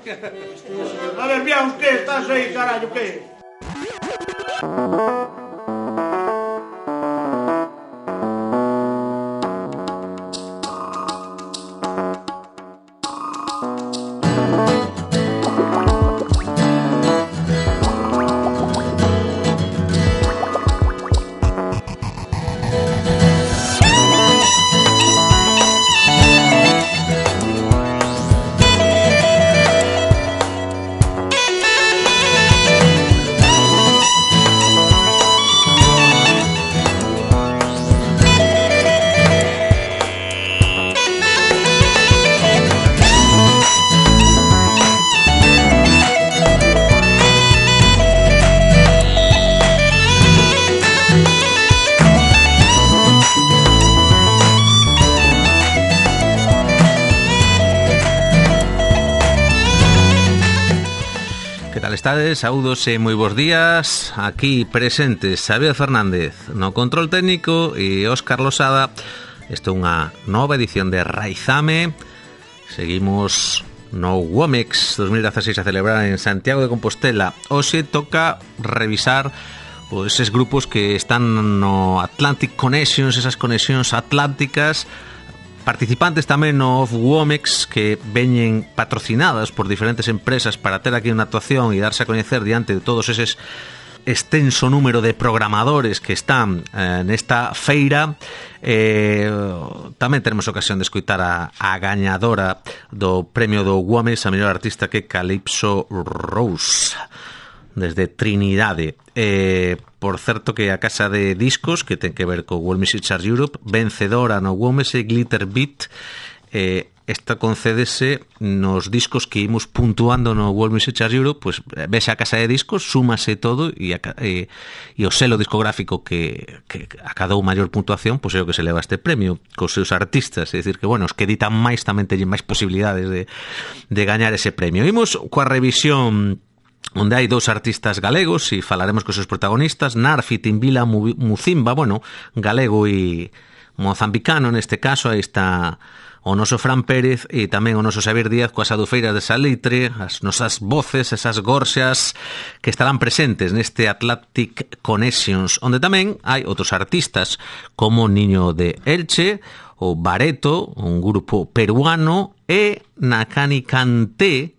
A ver, Biaus, que estás aí, carallo, que? Estades, saúdos e moi bons días. Aquí presentes Xavier Fernández no control técnico e Óscar Losada. Isto é unha nova edición de Raizame. Seguimos no WOMEX 2016 a celebrar en Santiago de Compostela. Hoxe toca revisar eses grupos que están no Atlantic Connections, esas conexións atlánticas, participantes tamén no WOMEX que veñen patrocinadas por diferentes empresas para ter aquí unha actuación e darse a coñecer diante de todos eses extenso número de programadores que están nesta feira. Tamén teremos ocasión de escoitar a gañadora do premio do WOMEX, a mellor artista, que Calypso Rose, desde Trinidade. Por certo que a casa de discos que ten que ver co World Music Charts Europe, vencedora no WOMEX e Glitter Beat, esta concédese nos discos que imos puntuando no World Music Charts Europe, pues vexe a casa de discos, súmase todo e o selo discográfico que acadou maior puntuación, pois é o que se leva este premio cos seus artistas. É dicir que, bueno, os que editan máis tamén teñen máis posibilidades de gañar ese premio. Imos coa revisión onde hai dous artistas galegos e falaremos cos seus protagonistas, Narfi Timbila Muzimba, bueno, galego e mozambicano neste caso. Aí está o noso Fran Pérez e tamén o noso Xavier Díaz coas adufeiras de Salitre, as nosas voces, esas gorxas que estarán presentes neste Atlantic Connections, onde tamén hai outros artistas como Niño de Elche, o Bareto, un grupo peruano, e Nakani Kanté,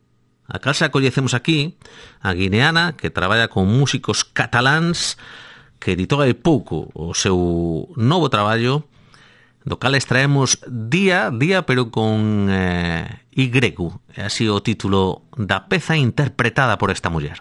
a casa coñecemos aquí, a guineana, que traballa con músicos cataláns, que editou hai pouco o seu novo traballo, do cal extraemos Día, pero con Y, así o título da peza interpretada por esta muller.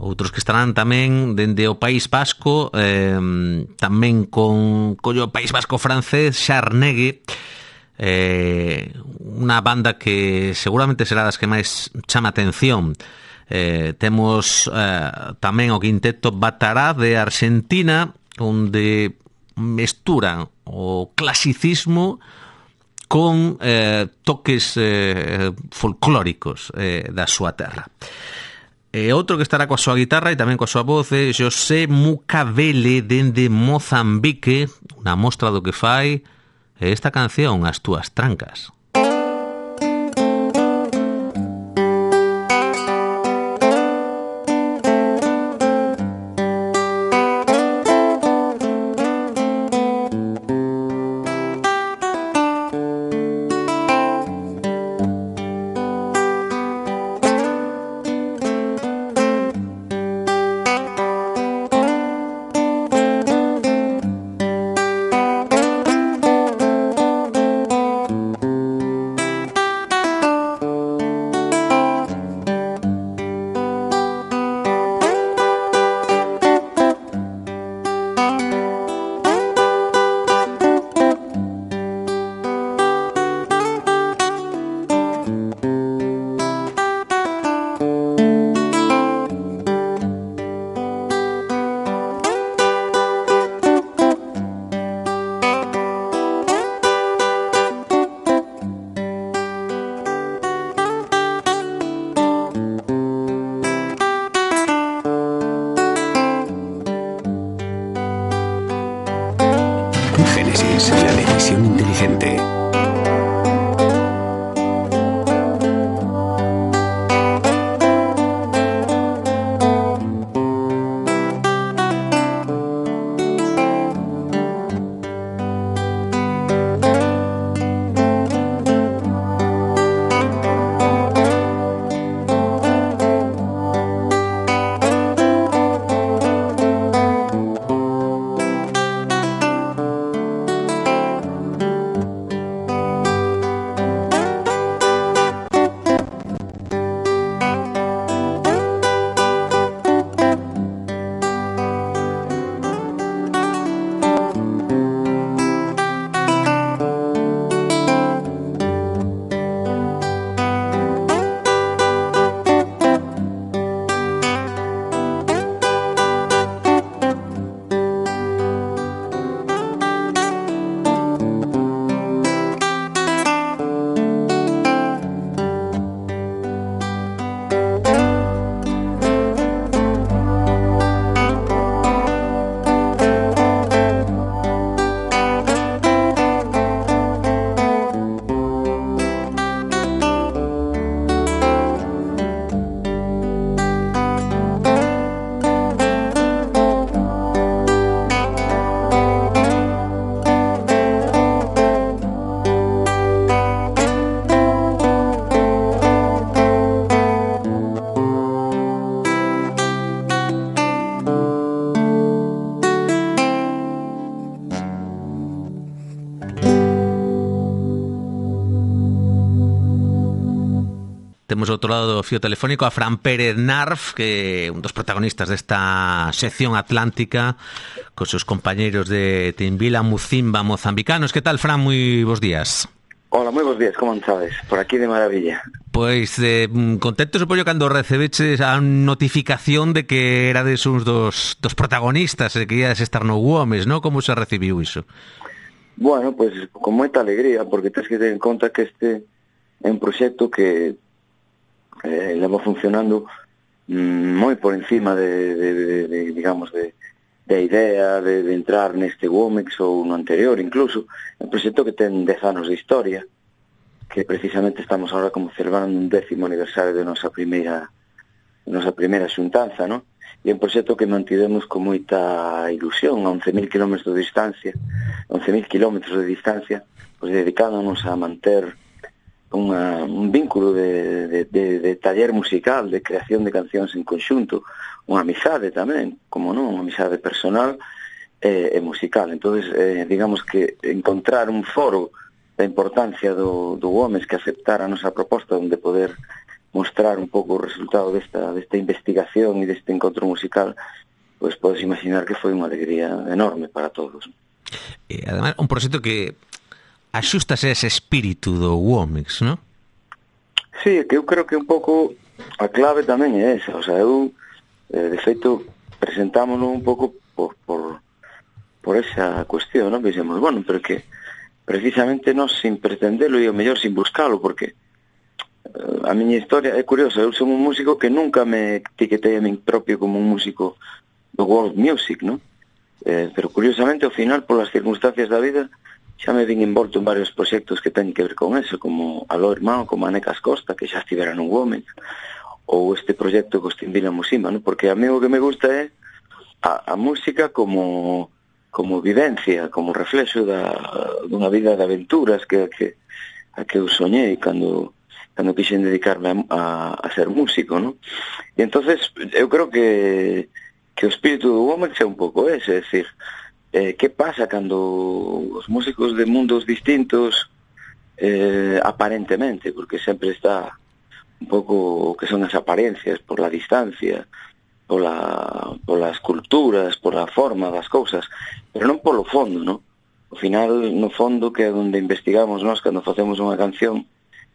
Outros que estarán tamén dende o País Vasco, tamén con o País Vasco francés, Charnegue, unha banda que seguramente será das que máis chama atención. Temos tamén o quinteto Batará de Argentina, onde mesturan o clasicismo con toques folclóricos da súa terra. Outro que estará coa súa guitarra e tamén coa súa voz é José Mucavele dende Mozambique, unha mostra do que fai esta canción, As túas trancas. Génesis, la decisión inteligente. Temos outro lado do fío telefónico a Fran Pérez Narf, que é un dos protagonistas desta sección atlántica cos seus compañeiros de Timbila Mucimba mozambicanos. Que tal, Fran? Moi bons días. Hola, moi bons días, como andades? Por aquí de maravilla. Pois contento supoño cando recebeches a notificación de que erades uns dos protagonistas e que iades estar no Guames, non? Como se recibiu iso? Bueno, pois con moita alegría, porque tens que ter en conta que este é un proxecto que leva funcionando moi por encima de digamos, de idea de entrar neste Womex ou no anterior incluso. É un proxecto que ten 10 anos de historia, que precisamente estamos ahora como celebrando un 10º aniversario de nosa primeira xuntanza, non? E é un proxecto que mantivemos con moita ilusión a 11.000 kilómetros de distancia, pois dedicándonos a manter un vínculo de taller musical, de creación de cancións en conxunto, unha amizade tamén, como non, unha amizade personal e musical. Entonces, digamos que encontrar un foro da importancia do Gomes que aceptara a nosa proposta onde poder mostrar un pouco o resultado desta investigación e deste encontro musical, pois podes imaginar que foi unha alegría enorme para todos. E, además, un proxecto que axústase a ese espírito do Womex, non? Sí, que eu creo que un pouco a clave tamén é esa. O sea, eu, de feito, presentámonos un pouco por esa cuestión, non? Dixemos, bueno, pero que precisamente nós sin pretendelo e o mellor sin buscalo, porque a miña historia é curiosa. Eu son un músico que nunca me etiquetei a min propio como un músico do world music, non? Pero curiosamente, ao final, polas circunstancias da vida, xa me vin envolto en varios proxectos que teñen que ver con eso, como Aló Irmão, como Anecas Costa, que xa estivera nun Womex, ou este proxecto Costimbila Musima, ¿no? Porque a mí o que me gusta é a música como vivencia, como reflexo dunha vida de aventuras que eu soñei cando quixen dedicarme a ser músico, ¿no? E entonces eu creo que o espírito do Womex é un pouco ese, é dicir, que pasa cando os músicos de mundos distintos aparentemente, porque sempre está un pouco o que son as apariencias por la distancia, polas culturas, por la forma das cousas, pero non polo fondo, non? Ao final, no fondo, que é onde investigamos nós cando facemos unha canción,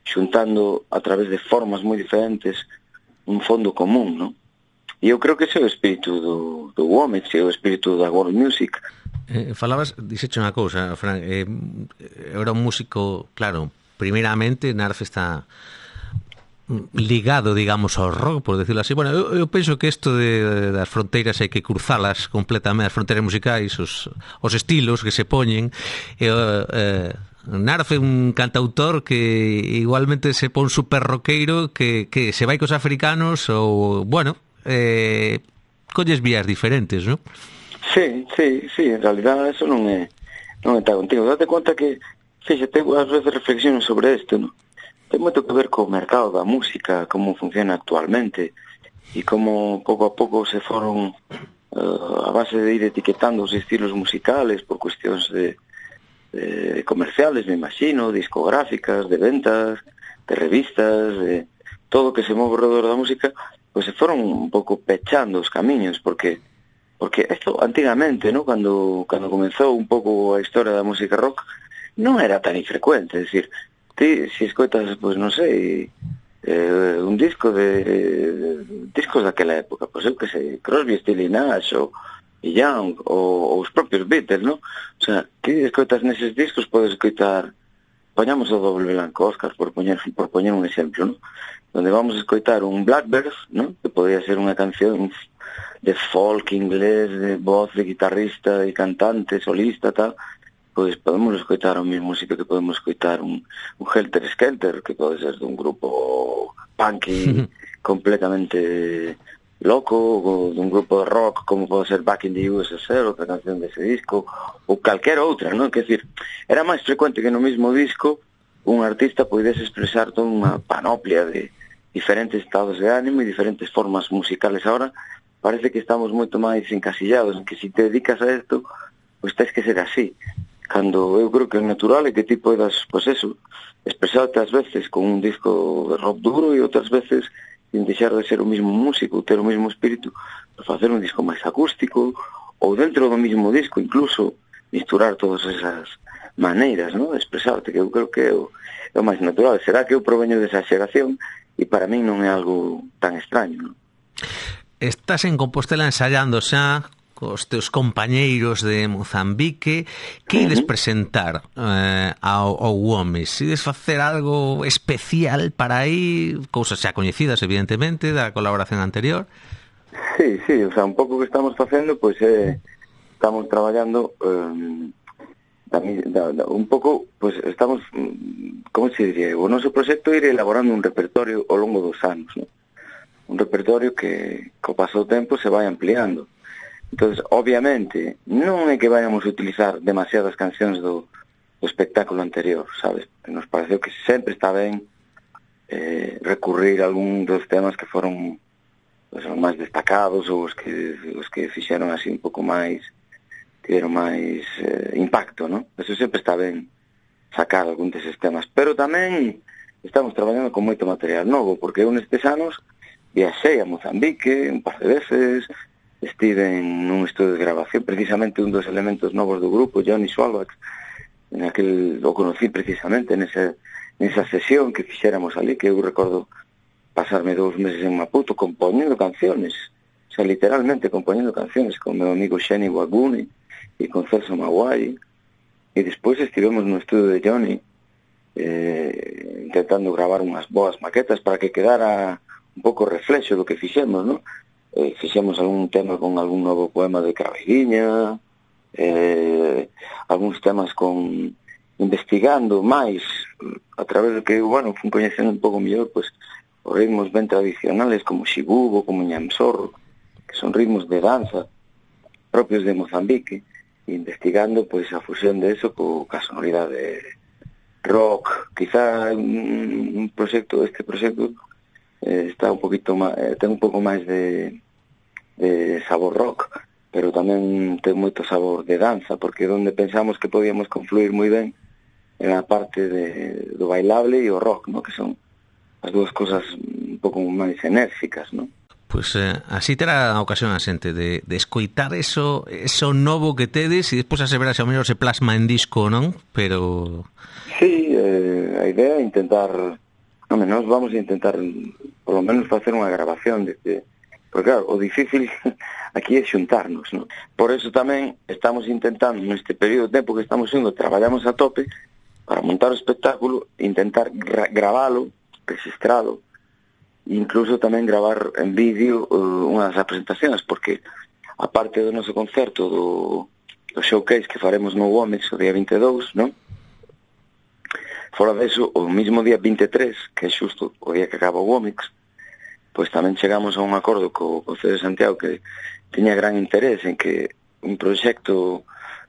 xuntando a través de formas moi diferentes un fondo común, non? E eu creo que ese é o espírito do Womex, é o espírito da world music. Falabas, dixeche unha cousa, Fran, era un músico, claro, primeiramente Narfe está ligado, digamos, ao rock, por decirlo así. Bueno, eu penso que isto das fronteiras hai que cruzalas completamente, as fronteiras musicais, os estilos que se poñen. Narfe é un cantautor que igualmente se pon super roqueiro, que se vai cos africanos ou, bueno, colles vías diferentes, non? Sí, en realidad eso non está contigo. Date conta que, fíxate, ás veces reflexiono sobre isto, non? Ten moito que ver co mercado da música, como funciona actualmente, e como pouco a pouco se foron a base de ir etiquetando os estilos musicales por cuestións de comerciales, me imagino, discográficas, de ventas, de revistas, de todo o que se move alrededor da música, pois se foron un pouco pechando os camiños, porque isto antigamente, ¿no? Cando comenzou un pouco a historia da música rock, non era tan infrecuente, é dicir, ti, se escoitas, pois non sei, un disco discos daquela época, pois eu que sei, Crosby, Stills, Nash, ou Young, ou os propios Beatles, ¿no? O sea, ti escoitas neses discos, podes escoitar, poñamos o Doble Blanco Óscar, por poñer un exemplo, ¿no? Donde vamos a escoitar un Blackbird, ¿no? Que podría ser unha canción de folk inglés, de voz de guitarrista e cantante, solista, tal, pois podemos escoitar a mesma música que podemos escoitar un Helter Skelter, que pode ser dun grupo punky completamente loco, ou dun grupo de rock como pode ser Back in the USSR, outra canción dese disco, ou calquera outra, non? Quer dizer, era máis frecuente que no mesmo disco un artista poidese expresar toda unha panoplia de diferentes estados de ánimo e diferentes formas musicales. Ahora parece que estamos moito máis encasillados, que se te dedicas a isto, pois tens que ser así. Cando eu creo que é natural é que ti poidas, pois eso, expresarte ás veces con un disco de rock duro e outras veces sin deixar de ser o mismo músico, ter o mismo espírito, para facer un disco máis acústico, ou dentro do mismo disco incluso misturar todas esas maneiras, non, de expresarte, que eu creo que é o máis natural. Será que eu proveño desa xeración e para min non é algo tan extraño, non? Estás en Compostela ensaiando xa cos teus compañeiros de Mozambique. Que ides presentar ao Womes? Ides facer algo especial para aí? Cousas xa coñecidas, evidentemente, da colaboración anterior. Sí, o sea, un pouco que estamos facendo, pois estamos traballando un pouco, pois estamos, como se diría, o noso proxecto é ir elaborando un repertorio ao longo dos anos, non? Un repertorio que co paso do tempo se vai ampliando. Entonces, obviamente, non é que vayamos a utilizar demasiadas cancións do espectáculo anterior, sabes? Nos pareceu que sempre está ben recurrir a algún dos temas que foron os máis destacados ou os que fixeron así un pouco máis, tiveron máis impacto, non? Eso sempre está ben sacar algún deses temas. Pero tamén estamos traballando con moito material novo, porque eu nestes anos viaxei a Mozambique un par de veces, estive nun estudio de grabación, precisamente un dos elementos novos do grupo, Johnny Svalbard, o conocí precisamente nesa sesión que fixéramos ali, que eu recordo pasarme 2 meses en Maputo compoñendo canciones, o sea, literalmente compoñendo canciones con meu amigo Sheni Waguni e con Celso Maguai, e despois estivemos no estudio de Johnny intentando gravar unhas boas maquetas para que quedara un pouco reflexo do que fixemos, non? Fixemos algún tema con algún novo poema de Craveguiña, algúns temas investigando máis a través do que, bueno, fui coñecendo un pouco mellor, pois, os ritmos ben tradicionales como Xibubo, como Ñamsorro, que son ritmos de danza propios de Mozambique, e investigando pois a fusión de eso ca sonoridade rock. Quizá este proxecto está un poquito máis, ten un pouco máis de sabor rock, pero tamén ten moito sabor de danza, porque onde pensamos que podíamos confluir moi ben era a parte do bailable e o rock, ¿no? Que son as dúas cosas un pouco máis enérxicas, ¿no? Pois así terá a ocasión a xente de escoitar eso novo que tedes e despois a se ver se ao mellor se plasma en disco, non? Pero... Sí, a idea é intentar... Nos vamos a intentar por lo menos facer unha grabación porque claro, o difícil aquí é xuntarnos, ¿no? Por eso tamén estamos intentando neste período de tempo que estamos indo, traballamos a tope para montar o espectáculo, intentar gravalo, registralo, e incluso tamén gravar en vídeo unhas presentacións, porque aparte do noso concerto do showcase que faremos no Womex o día 22, non? Fora deso, o mismo día 23, que é xusto o día que acaba o Womex, pois tamén chegamos a un acordo co Concello de Santiago que tiña gran interés en que un proxecto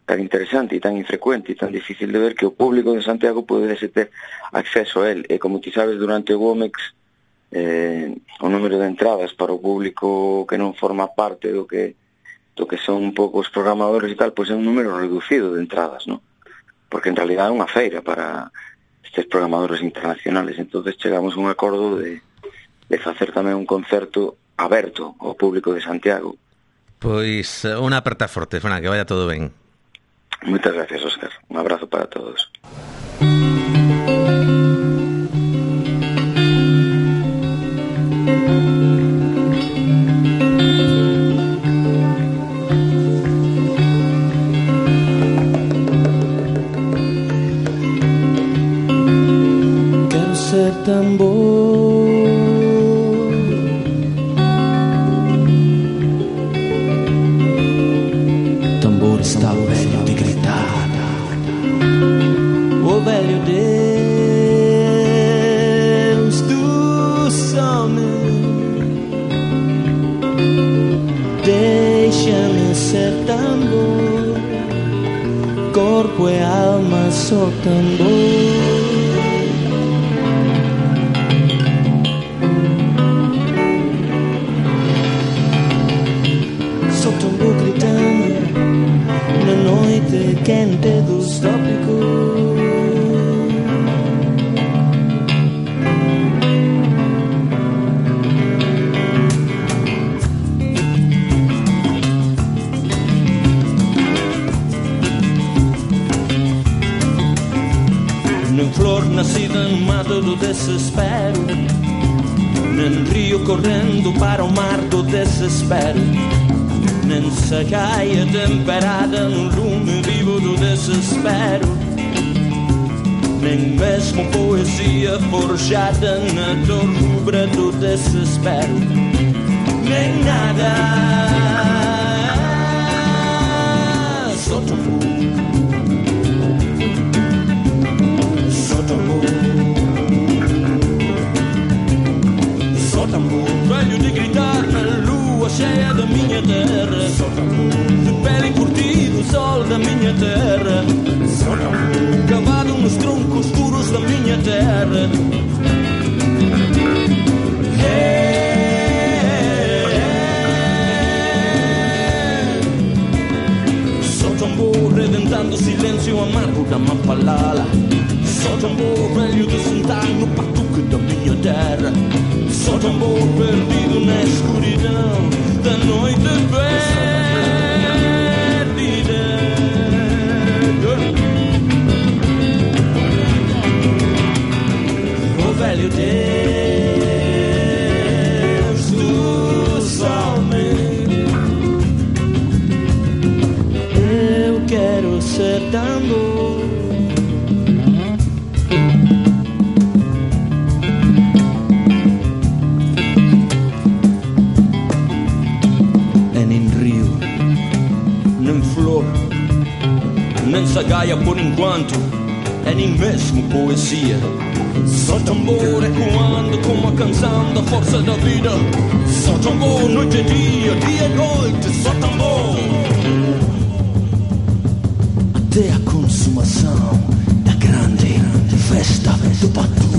tan interesante e tan infrecuente e tan difícil de ver, que o público de Santiago pudese ter acceso a él. E como ti sabes, durante o Womex o número de entradas para o público que non forma parte do que son un pouco os programadores e tal, pois é un número reducido de entradas, non? Porque en realidad é unha feira para estes programadores internacionales. Entonces chegamos a un acordo de facer tamén un concerto aberto ao público de Santiago. Pois unha aperta forte, Fran, que vaya todo ben. Moitas gracias, Óscar. Un abrazo para todos. Quero ser tambor, tambor está o velho de gritar, o velho Deus dos homens. Deixa-me ser tambor, corpo e alma só tambor. Quente dos trópicos, um mato do desespero, num rio correndo para o mar do desespero, nessa caia temperada no lume vivo do desespero, nem mesmo poesia forjada na dor rubra do desespero, nem nada. Só tambor, só tambor, só tambor, velho de gritar na lua cheia da minha terra, só tambor, de pele curtido o sol da minha terra, só tambor, cavado nos troncos duros da minha terra. Só tambor reventando o silêncio amargo da Mapalala, só tambor velho de sentar no patuque da minha terra, só tambor perdido na escuridão da noite perdida. O velho Deus do sol-me, eu quero ser tambor. Nem sagaia por enquanto, é nem mesmo poesia. Só tambor ecoando como a canção da força da vida. Só tambor noite e dia, dia e noite, só tambor. Até a consumação da grande festa do batuque.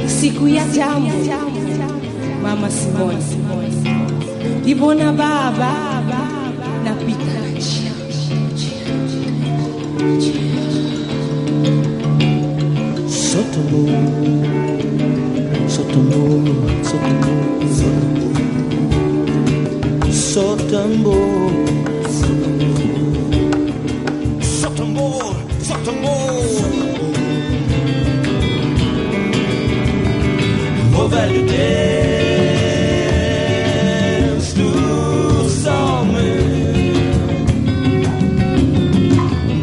Siku ya jambo Mama Simone Libona baba na pita Sotombo Sotombo Sotombo Sotombo Sotombo Sotombo O velho Deus do sol-me,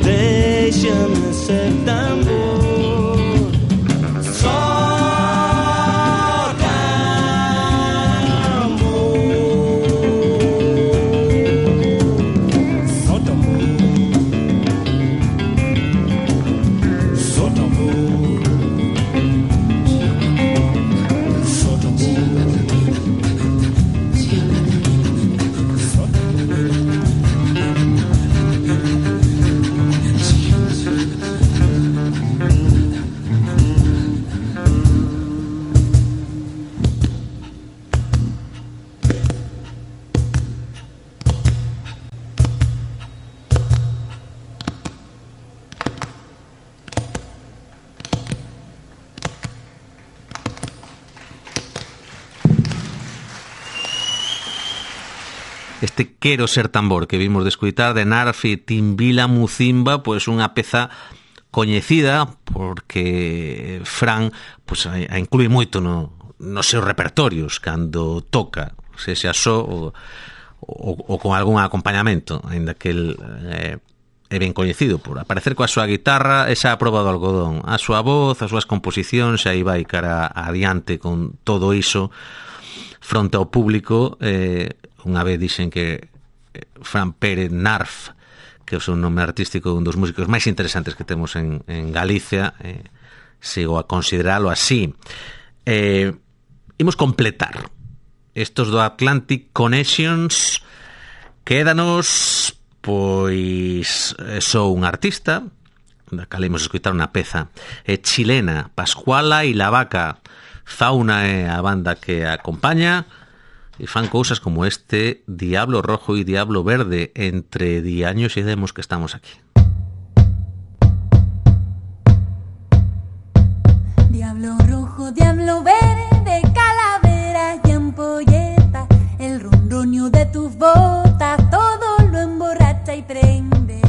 deixa-me ser tambor, só tambor, só tambor, só tambor. este Quero ser tambor que vimos de escuitar de Narf e Timbila Mucimba, pois unha peza coñecida porque Fran pois, a inclúe moito nos seus repertorios cando toca, se xa só ou con algún acompañamento, aínda que el é ben coñecido por aparecer coa súa guitarra e xa a prova do algodón, a súa voz, as súas composicións, xa aí vai cara adiante con todo iso fronte ao público. Unha vez dixen que Fran Pérez Narf, que é o seu nome artístico, un dos músicos máis interesantes que temos en Galicia, sigo a consideralo así. Imos completar estos do Atlantic Connections. Quédanos pois sou un artista da cal imos escutar unha peza chilena, Pascuala e la Vaca. Fauna é a banda que acompaña e fan cousas como este Diablo Rojo e Diablo Verde. Entre diaños e demos que estamos aquí. Diablo rojo, diablo verde, calaveras y ampolletas, el ronronio de tus botas, todo lo emborracha y prende.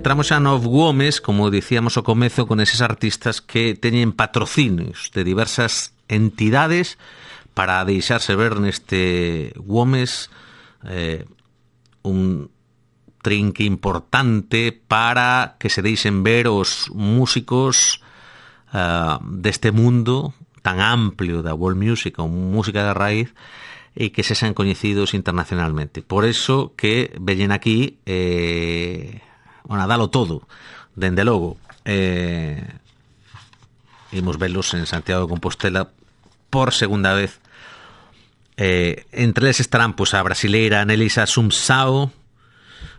Entramos xa no Gomes, como dicíamos ao comezo, con eses artistas que teñen patrocinios de diversas entidades para deixarse ver neste Gomes, un trinque importante para que se deixen ver os músicos deste mundo tan amplio da world music, ou música de raíz, e que se sean coñecidos internacionalmente. Por eso que veñen aquí a dalo todo, dende logo. Imos velos en Santiago de Compostela por segunda vez Entre eles estarán pois, a brasileira Nelisa Sumsao,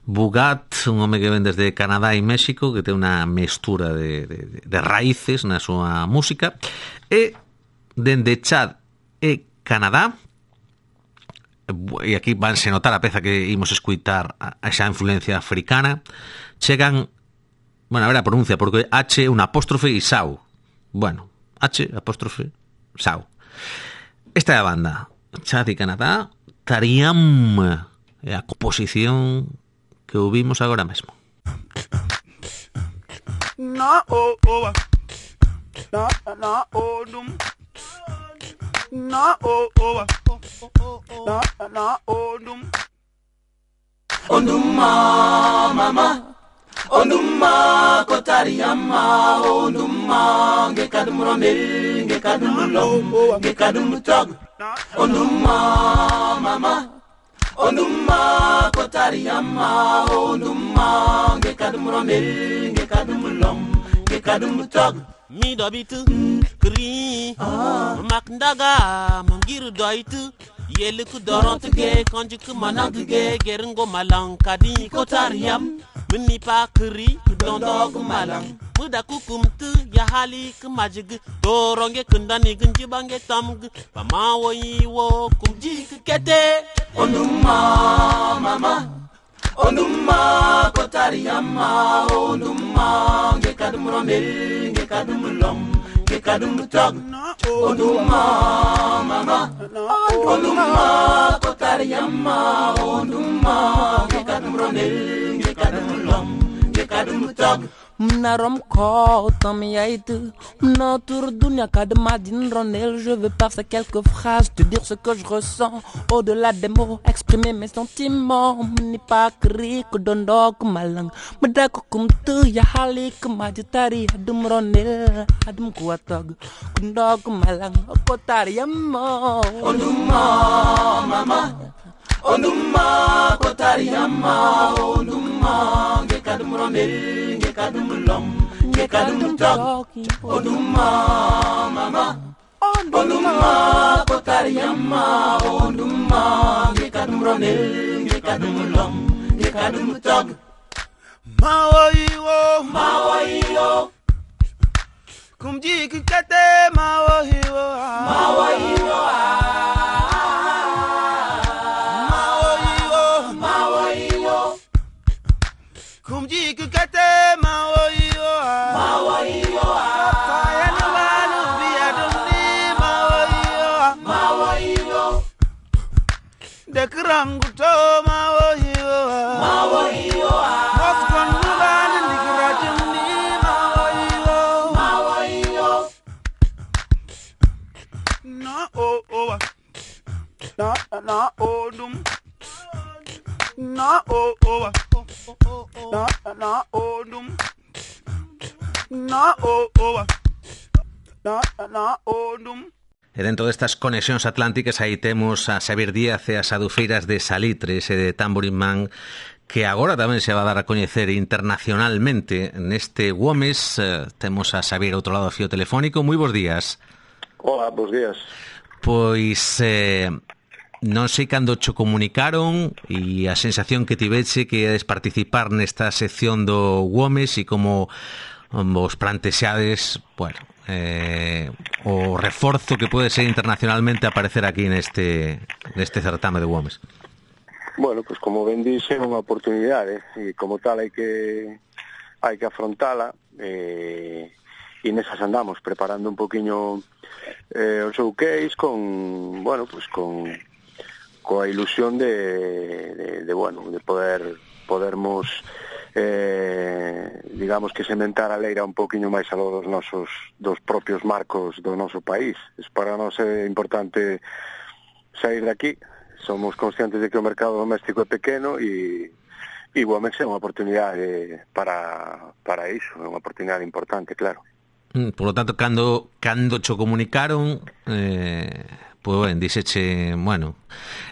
Bugat, un home que ven desde Canadá e México, que ten unha mestura de raíces na súa música, e dende Chad e Canadá, e aquí vanse notar a peza que imos escuitar a esa influencia africana, chegan, bueno, a ver a pronuncia, porque H, un apóstrofe e Sau. Bueno, H, apóstrofe, Sau. Esta é a banda, Chad e Canadá, Tariam, é a composición que ouvimos agora mesmo. Na o o na o dum na o o na o dum onduma mama onduma kotariyama onduma ngekadum romel ngekadum lom ngekadum tog onduma mama onduma kotariyama onduma ngekadum romel ngekadum lom ngekadum tog mi dobitu kri makndaga mangiru doitu yeliku dorontuge konjuku manantuge geringo malang kadi kotariyam mini pa kri dondog malang muda kukumtu ya hali kumajig doronge kundani gunjibange tamg pamawo yiwo kumji kete onduma mama onduma kotariyama onduma ngekadum romel ngekadum lom ngekadum tog onduma mama onduma kotariyama onduma ngekadum romel ngekadum lom ngekadum tog Mnarom ko tamiaïte, m'entoure dunya kadmadine ronel. Je veux par ces quelques phrases te dire ce que je ressens. Au-delà des mots, exprimer mes sentiments. M'ni pas kri que dondok malang. M'dako kum tu ya hali kumajitari adum ronel adum kuatog kundok malang kotari yammo. Onduma mama, onduma kotariyama, onduma ngekadum romel, ngekadum lom, ngekadum tog, onduma mama, onduma kotariyama, onduma ngekadum romel, ngekadum lom, ngekadum tog. Mawayo, kumji kikete mawayo, kumji kukate mawoyo kayana walu biaduni mawoyo dekrangu to mawoyo moskon nubani ndikrajuni mawoyo na o na o dum na o na odum na o na odum. E dentro destas conexións atlánticas aí temos a Xavier Díaz e as adufeiras de Salitres e de Tambourine Man, que agora tamén se va a dar a coñecer internacionalmente neste Gomes. Temos a Xavier outro lado do fío telefónico. Moi bons días. Hola, bons días. Pois non sei cando cho comunicaron e a sensación que tiveche que iades participar nesta sección do Gomes e como vos plantexades, bueno, o reforzo que pode ser internacionalmente aparecer aquí neste certame de Gomes. Bueno, pues como ben dixe, é unha oportunidade e como tal hai que afrontala e nesas andamos preparando un poquinho o showcase con, bueno, pues coa ilusión de podermos digamos que sementar a leira un poquinho máis aló dos propios marcos do noso país. Para nós é importante sair de aquí. Somos conscientes de que o mercado doméstico é pequeno e Gomes é unha oportunidade para iso, é unha oportunidade importante, claro. Por lo tanto, cando cho comunicaron, pois ben, dixeche, bueno,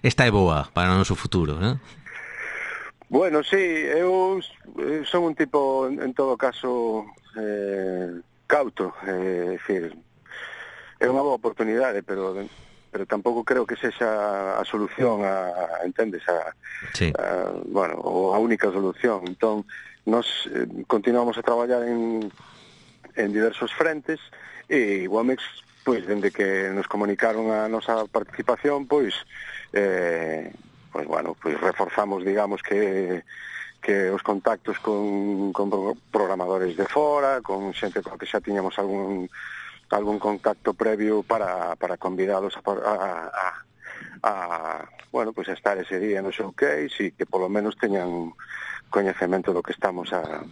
esta é boa para o noso futuro, non? Bueno, sí, eu son un tipo, en todo caso, cauto, é dicir, é unha boa oportunidade, pero pero tampouco creo que sexa a solución entendes, bueno, ou a única solución. Entón, nos continuamos a traballar en diversos frentes e Womex, pois, dende que nos comunicaron a nosa participación, pois, bueno, pois reforzamos, digamos, que os contactos con programadores de fora, con xente con que xa tiñamos algún contacto previo para convidalos bueno, pues a estar ese día no showcase e que polo menos teñan coñecemento do que estamos a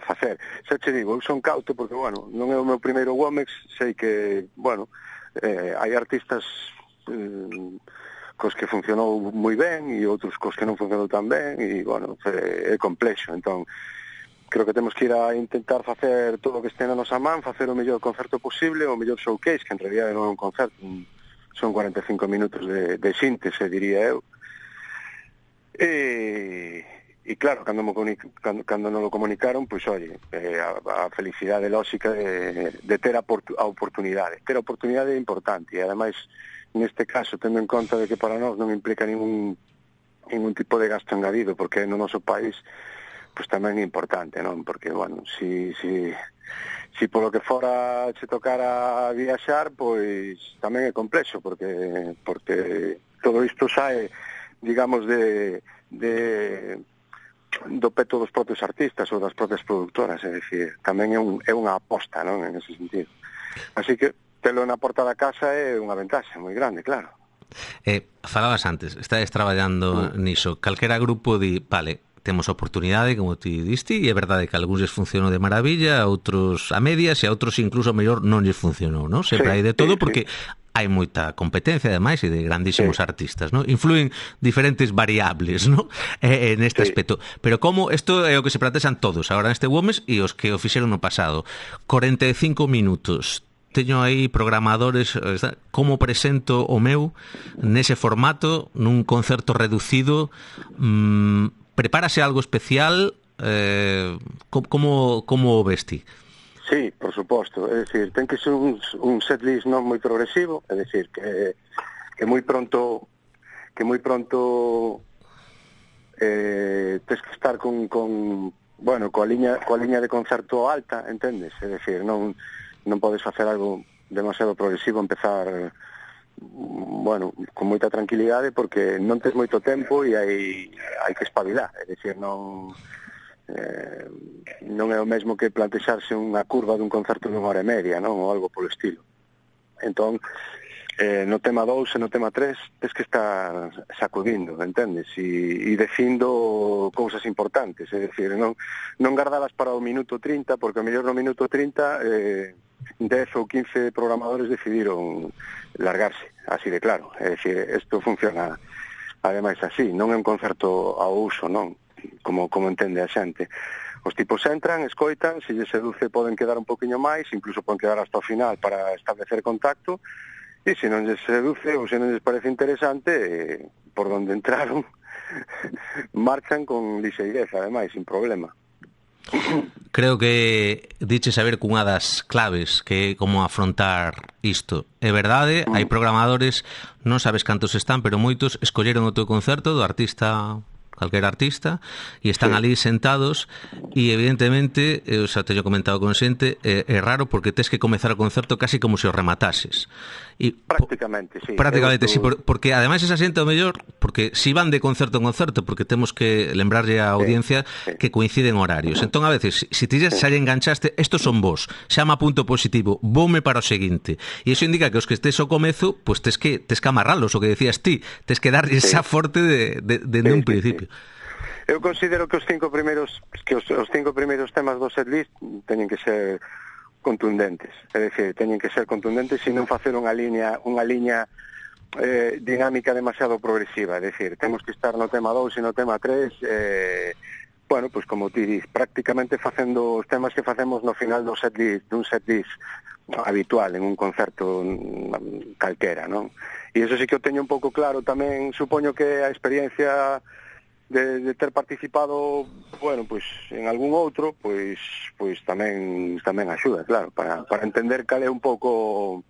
facer. Xa che digo, eu son cauto porque, bueno, non é o meu primeiro Womex, sei que, bueno, hai artistas cos que funcionou moi ben e outros cos que non funcionou tan ben e, bueno, é complexo. Entón, creo que temos que ir a intentar facer todo o que este na nosa man, facer o mellor concerto posible, o mellor showcase, que en realidad non é un concerto, son 45 minutos de síntese, diría eu. E claro, cando non lo comunicaron, pois, oye, a felicidade lóxica de ter a oportunidade. Ter a oportunidade é importante, e ademais, neste caso, tendo en conta de que para nós non implica ningún tipo de gasto engadido, porque no noso país, pois tamén é importante, non? Porque, bueno, si polo que fora se tocara viaxar, pois tamén é complexo, porque todo isto sae, digamos, do peto dos propios artistas ou das propias productoras, é dicir, tamén é unha aposta, non, en ese sentido. Así que telo na porta da casa é unha ventaxa moi grande, claro. Falabas antes, estades traballando niso, calquera grupo vale, temos oportunidade, como ti diste, e é verdade que algúns les funcionou de maravilla, a outros a medias e a outros incluso mellor non lles funcionou, non? Sempre hai de todo porque hai moita competencia, ademais, e de grandísimos artistas, non? Influen diferentes variables, non? Neste aspecto. Pero como, isto é o que se plantexan todos agora neste Womex e os que o fixeron no pasado. 45 minutos. Teño aí programadores, como presento o meu nese formato, nun concerto reducido, prepárase algo especial, como o vesti? Sí, por suposto, é dicir, ten que ser un setlist non moi progresivo, é dicir, que moi pronto tens que estar con bueno, coa liña de concerto alta, entendes? É dicir, non podes facer algo demasiado progresivo, empezar, bueno, con moita tranquilidade, porque non tens moito tempo e hai que espabilar, é dicir, non é o mesmo que plantexarse unha curva dun concerto dunha hora e media, non? Ou algo polo estilo. Entón, no tema 2 e no tema 3 tens que estar sacudindo, entendes? E dicindo cousas importantes, é dicir, non gardalas para o minuto 30, porque o mellor no minuto 30 10 ou 15 programadores decidiron largarse, así de claro. É dicir, isto funciona ademais así, non é un concerto ao uso, non? Como entende a xente. Os tipos entran, escoitan, se lles seduce poden quedar un poquinho máis, incluso poden quedar hasta o final para establecer contacto, e se non lles seduce ou se non lles parece interesante, por donde entraron marchan con lixeireza, ademais, sin problema. Creo que diche saber cunha das claves que é como afrontar isto. É verdade, hai programadores, non sabes cantos están, pero moitos escolleron o teu concerto do artista, calquera artista, e están ali sentados e evidentemente, eu xa teño comentado con xente, é raro porque tes que comezar o concerto casi como se o rematases. Prácticamente, sí. Prácticamente, sí, porque ademais esa xente o mellor, porque si van de concerto en concerto, porque temos que lembrarlle á audiencia que coinciden horarios. Entón, a veces, se ti xa lle enganchaste, estos son vos, xama punto positivo, voume para o seguinte. E iso indica que os que estés ao comezo, pues tes que amarralos, o que decías ti, tes que darlle esa forte de un principio. Eu considero que os cinco primeiros temas do setlist teñen que ser contundentes, é dicir, teñen que ser contundentes e non facer unha liña dinámica demasiado progresiva, é dicir, temos que estar no tema 2 e no tema 3, bueno, pues como ti dis, prácticamente facendo os temas que facemos no final dun setlist habitual en un concerto calquera, non? E iso sí que o teño un pouco claro tamén, supoño que a experiencia de ter participado, bueno, pues en algún outro, pues tamén axuda, claro, para entender cal é un pouco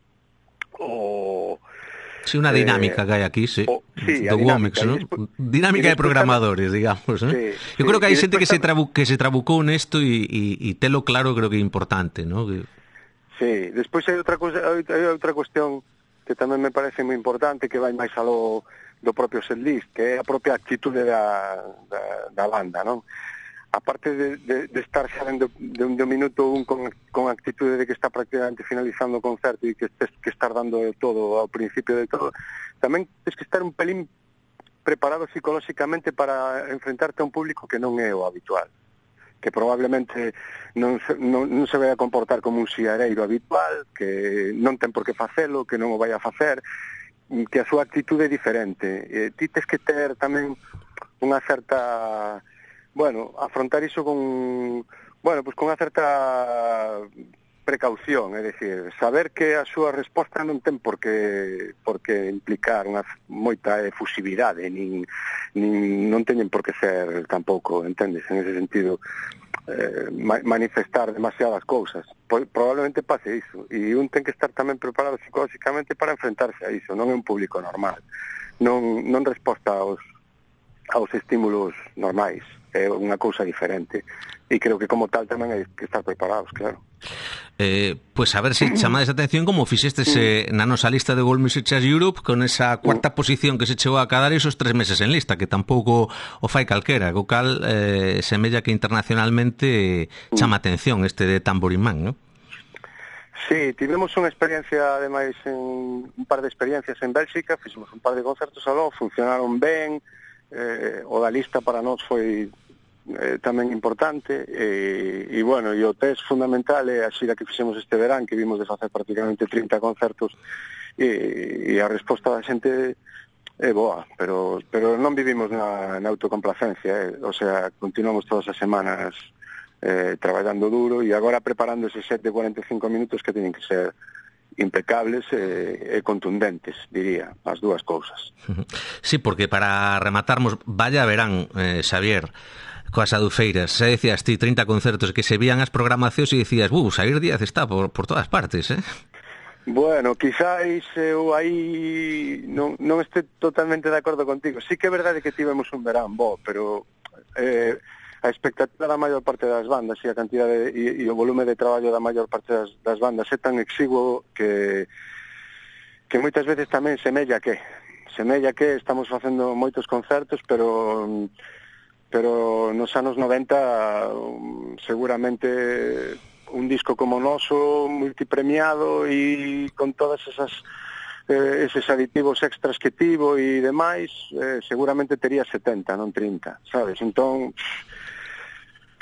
Sí, unha dinámica que hai aquí, sí. Sí, do Womex, ¿no? Dinámica de programadores, digamos, ¿no? Sí, Eu creo que hai xente que se despois trabucou nesto e telo claro creo que é importante, ¿no? Sí, despois hai outra cuestión que tamén me parece moi importante, que vai máis aló do propio setlist, que é a propia actitude da banda, non? Aparte de estar xa de un minuto un con actitude de que está prácticamente finalizando o concerto e que estar dando todo ao principio de todo, tamén tens que estar un pelín preparado psicolóxicamente para enfrentarte a un público que non é o habitual, que probablemente non se vai a comportar como un siareiro habitual, que non ten por que facelo, que non o vai a facer, que a súa actitude é diferente. Ti tes que ter tamén unha certa... Bueno, afrontar iso con unha certa precaución, é dicir, saber que a súa resposta non ten por que implicar unha moita efusividade, nin non teñen por que ser tampouco, entendes, en ese sentido, manifestar demasiadas cousas. Probablemente pase iso, e un ten que estar tamén preparado psicolóxicamente para enfrentarse a iso, non é un público normal, non resposta aos estímulos normais, é unha cousa diferente, e creo que como tal tamén hai que estar preparados, claro. Pois a ver se chamades a atención como fixestes na nosa lista de World Music Charts Europe con esa cuarta posición que se chegou a cadar esos 3 meses en lista, que tampouco o fai calquera, co cal semella que internacionalmente chama atención este de Tambourine Man, non? Sí, tivemos unha experiencia, ademais, un par de experiencias en Bélxica, fixemos un par de concertos aló, funcionaron ben, o da lista para nós foi tamén importante, e bueno, e o test fundamental é a xira que fixemos este verán, que vimos de facer prácticamente 30 concertos, e a resposta da xente é boa, pero non vivimos na autocomplacencia, o sea, continuamos todas as semanas traballando duro, e agora preparando ese set de 45 minutos que teñen que ser impecables e contundentes, diría, as dúas cousas. Sí, porque para rematarmos, vaya verán, Xavier, coas adufeiras, xa decías ti 30 concertos que se vían as programacións e dicías, Xavier Díaz está por todas partes, Bueno, quizáis eu aí non este totalmente de acordo contigo. Sí que é verdade que tivemos un verán bo, pero a expectativa da maior parte das bandas e a cantidade e o volume de traballo da maior parte das bandas é tan exiguo que moitas veces tamén semella que estamos facendo moitos concertos, pero nos anos 90 seguramente un disco como o noso, multipremiado e con todas eses aditivos extras que tivo e demais, seguramente tería 70, non 30, sabes? Entón,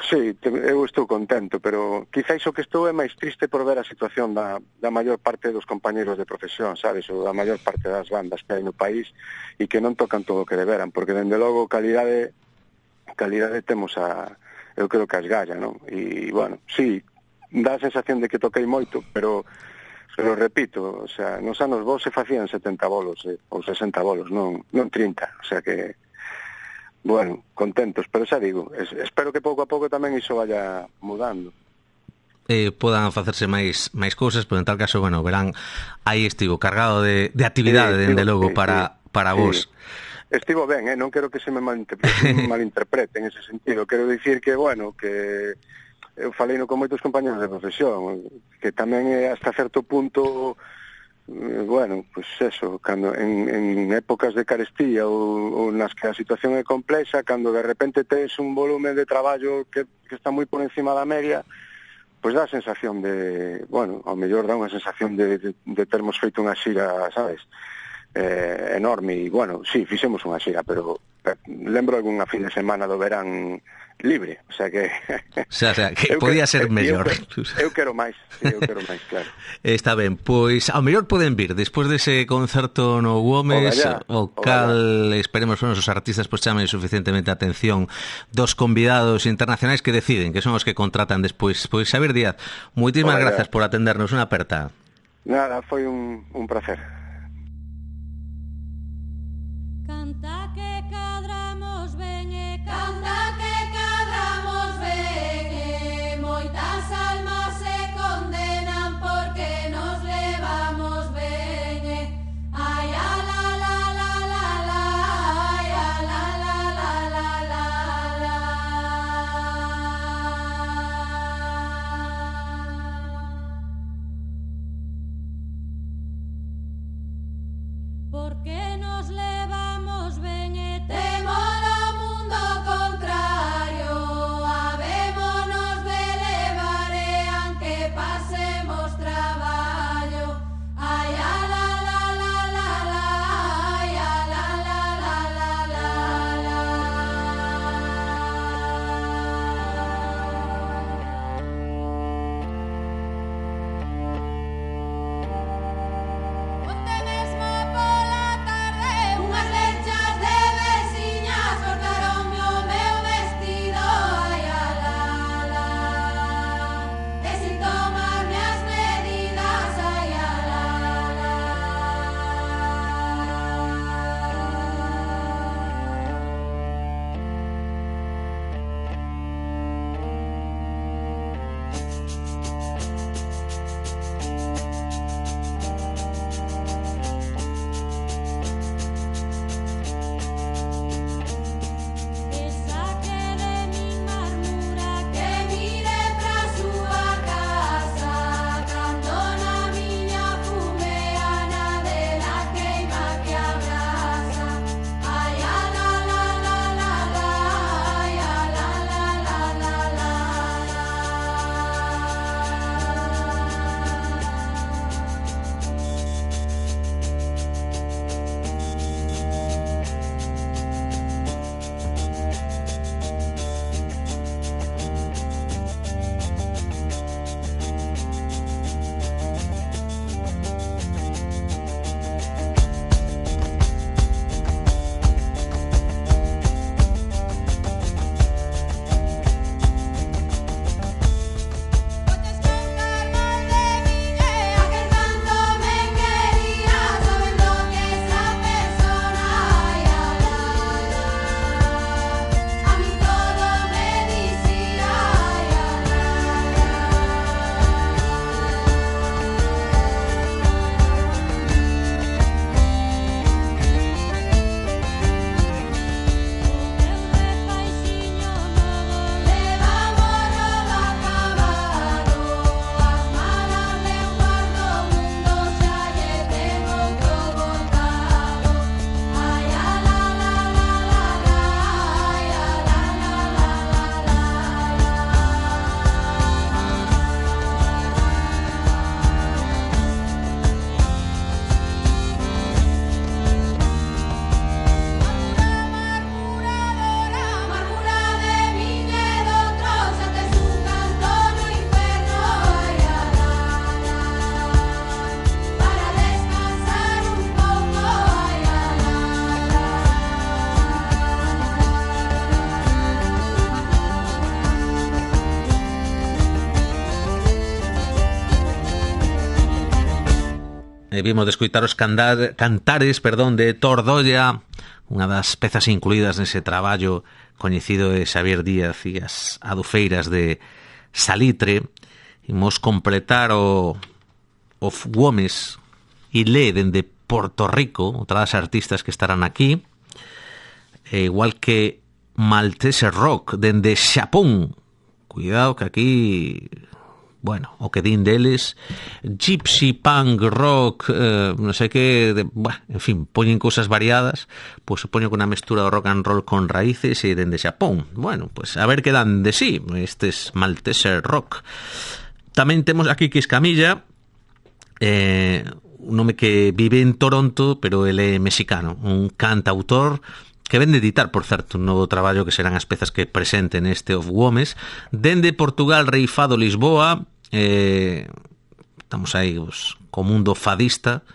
sí, eu estou contento, pero quizáis o que estou é máis triste por ver a situación da maior parte dos compañeros de profesión, sabes? Ou da maior parte das bandas que hai no país e que non tocan todo o que deberan, porque dende logo calidade temos eu creo que as galla, non? E, bueno, sí, dá a sensación de que toquei moito, pero repito, o sea, nos anos vos se facían 70 bolos, ou 60 bolos, non 30, o sea que, bueno, contentos, pero xa digo, espero que pouco a pouco tamén iso vaya mudando. Podan facerse máis cousas, pero en tal caso, bueno, verán, aí estivo cargado de actividade, dende logo, para vos. Estivo ben, non quero que se me malinterprete en ese sentido. Quero dicir que, bueno, que eu faleino con moitos compañeros de profesión, que tamén é hasta certo punto, bueno, pues eso, cando en épocas de carestía ou nas que a situación é complexa, cando de repente tes un volumen de traballo que está moi por encima da media, pues dá a sensación de, bueno, ao mellor dá unha sensación de termos feito unha xira, sabes, enorme, e bueno, sí, fixemos unha xira, pero lembro algunha fin de semana do verán libre, o sea que que podía ser mellor. Eu quero máis, claro. Está ben, pois ao mellor poden vir despois dese concerto no Womex, o cal esperemos os nosos artistas pois chamen suficientemente a atención dos convidados internacionais que deciden, que son os que contratan despois. Pois Xavier Díaz, moitísimas grazas por atendernos, unha aperta. Nada, foi un placer. Canta que cadramos ben e canta que cadramos ben e moitas almas se condenan porque nos levamos ben e ai, ai. vimos de escoitar os cantares de Tordolla, unha das pezas incluídas nese traballo coñecido de Xavier Díaz e as adufeiras de Salitre. Imos completar o Gomes Ilé dende Porto Rico, outra das artistas que estarán aquí, igual que Maltese Rock dende Xapón. Cuidado que aquí, bueno, o que din deles, Gypsy Punk Rock, non sei que, en fin, poñen cousas variadas, pois se poño con unha mestura do rock and roll con raíces e dende Xapón. Bueno, pois a ver que dan de sí estes Maltese Rock. Tamén temos aquí Quis Camilla, un nome que vive en Toronto, pero ele é mexicano, un cantautor que ven de editar, por certo, un novo traballo que serán as pezas que presenten este Of Gomes. Dende Portugal, Reifado, Lisboa, estamos aí co mundo fadista,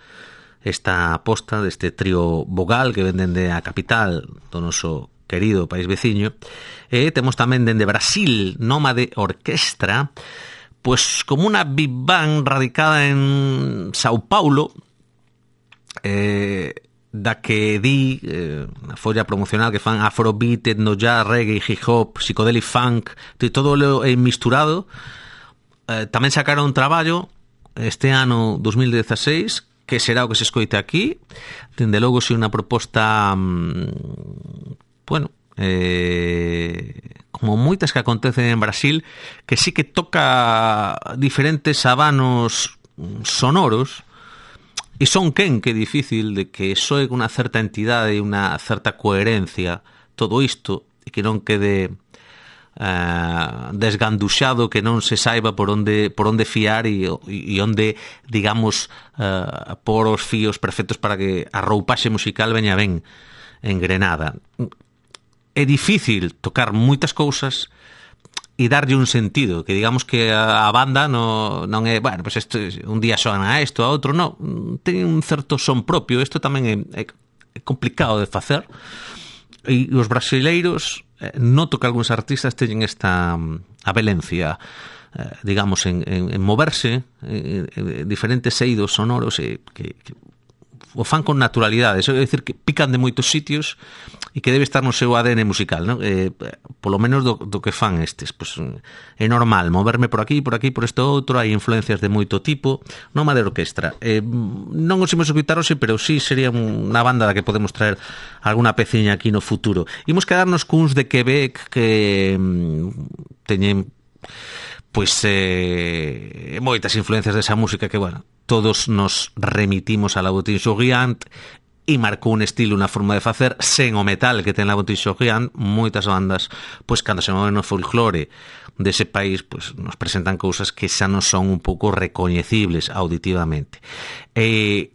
esta aposta deste trío vogal que ven dende a capital do noso querido país veciño. Temos tamén dende Brasil, Nómade Orquestra, pois como unha big band radicada en Sao Paulo, da que di na folla promocional que fan afrobeat, etno jazz, reggae, hip hop, psicodelic funk, de todo lo misturado. Tamén sacaron un traballo este ano 2016 que será o que se escoite aquí. Dende logo si unha proposta como moitas que acontecen en Brasil, que sí que toca diferentes habanos sonoros. E son que é difícil de que soe con unha certa entidade e unha certa coherencia todo isto, e que non quede desganduxado, que non se saiba por onde fiar e onde, digamos, por os fíos perfectos para que a roupaxe musical veña ben engrenada. É difícil tocar moitas cousas e darlle un sentido, que digamos que a banda non é, bueno, pues isto, un día soana a isto, a outro non, ten un certo son propio. Isto tamén é complicado de facer, e os brasileiros noto que algúns artistas teñen esta avelencia, digamos, en moverse en diferentes eidos sonoros que o fan con naturalidade. Eso é dicir que pican de moitos sitios e que debe estar no seu ADN musical, non? Polo menos do que fan estes. Pues, é normal moverme por aquí, por isto outro. Hai influencias de moito tipo. Nómade Orquestra. Non os imos escutar hoxe, pero sí sería unha banda da que podemos traer alguna peciña aquí no futuro. Imos quedarnos cuns de Quebec que teñen pois moitas influencias desa música que, bueno, todos nos remitimos a La Boutique-Chauriant, e marcou un estilo, unha forma de facer sen o metal que ten La Boutique-Chauriant. Moitas bandas, pois cando se moven no folclore dese país, pois nos presentan cousas que xa non son un pouco recoñecibles auditivamente.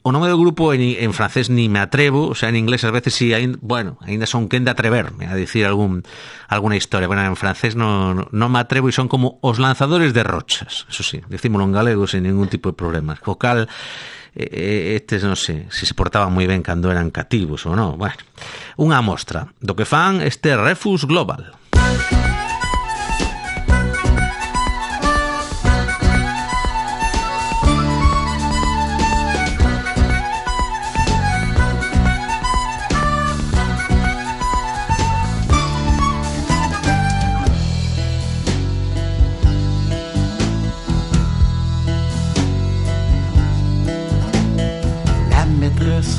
O nome do grupo en francés ni me atrevo, o sea, en inglés ás veces sí, ainda son quen de atreverme a dicir alguna historia. Bueno, en francés non me atrevo, e son como os lanzadores de rochas, eso sí, decímolo en galego sin ningún tipo de problemas. Co cal, estes non sei se portaban moi ben cando eran cativos ou non. Bueno, unha mostra do que fan este Refus Global.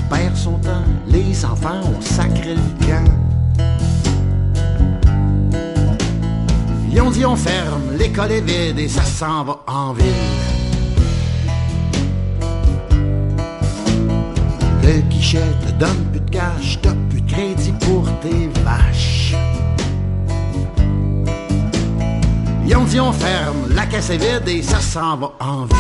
Perd son temps, les enfants ont sacré le camp. Ils ont dit on ferme, l'école est vide et ça s'en va en ville. Le guichet te donne plus de cash, t'as plus de crédit pour tes vaches. Ils ont dit on ferme, la caisse est vide et ça s'en va en ville.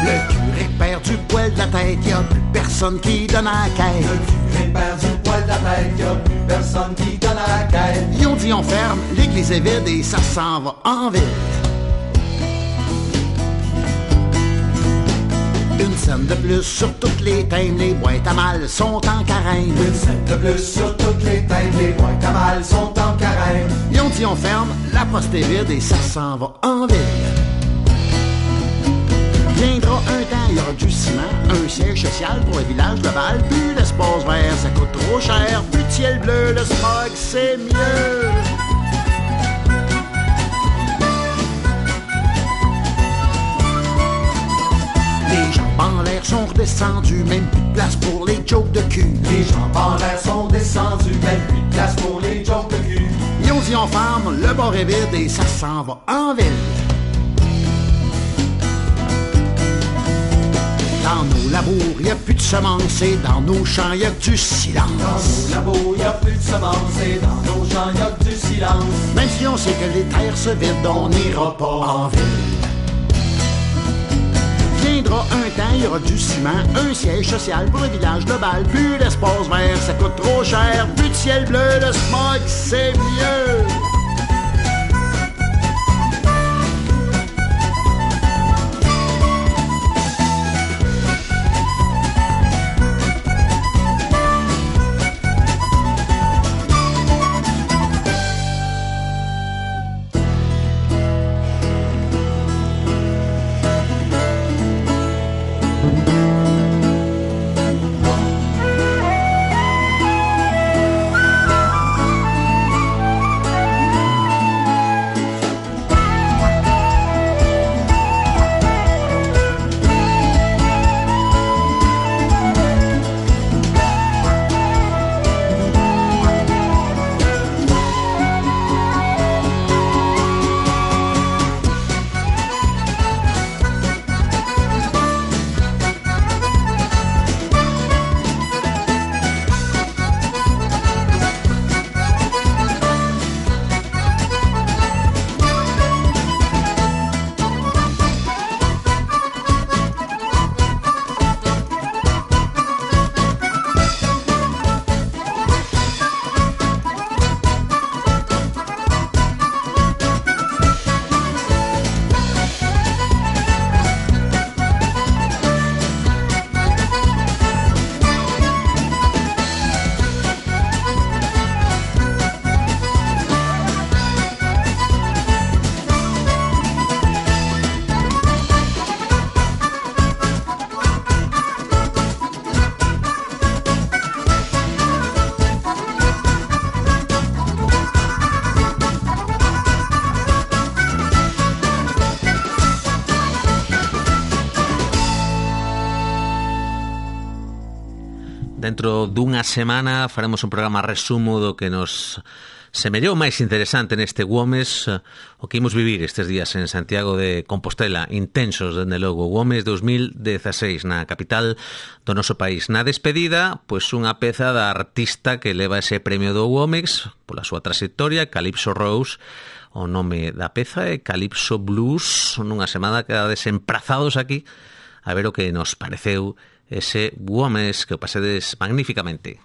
Le curé perd du poil de la tête, y'a plus personne qui donne à la caisse. Le curé perd du poil de la tête, y'a plus personne qui donne à la caisse. Ils ont dit on ferme, l'église est vide et ça s'en va en ville. Une scène de plus sur toutes les thèmes, les boîtes à mal sont en carême. Une scène de plus sur toutes les thèmes, les boîtes à mal sont en carême. Ils ont dit on ferme, la poste est vide et ça s'en va en ville. Viendra un temps, il y aura du ciment, un siège social pour le village global, plus l'espace vert, ça coûte trop cher, plus de ciel bleu, le smog, c'est mieux. Les jambes en l'air sont redescendus, même plus de place pour les jokes de cul. Les jambes en l'air sont descendus, même plus de place pour les jokes de cul. Ils ont dit on ferme, le bar est vide et ça s'en va en ville. Dans nos labours, y a plus de semences et dans nos champs, y a du silence. Dans nos labours, y a plus de semences et dans nos champs, y a du silence. Même si on sait que les terres se vident, on n'ira pas en ville. Viendra un temps, il y aura du ciment, un siège social pour le village global, plus d'espace vert, ça coûte trop cher, plus de ciel bleu, le smog, c'est mieux. Dentro dunha semana faremos un programa resumo do que nos semellou máis interesante neste Gomes, o que imos vivir estes días en Santiago de Compostela, intensos, dende logo. Gomes 2016 na capital do noso país. Na despedida, pois unha peza da artista que leva ese premio do Gomes pola súa trayectoria, Calypso Rose. O nome da peza é Calypso Blues, nunha semana que desemprazados aquí a ver o que nos pareceu ese Gomes, que o pasedes magníficamente.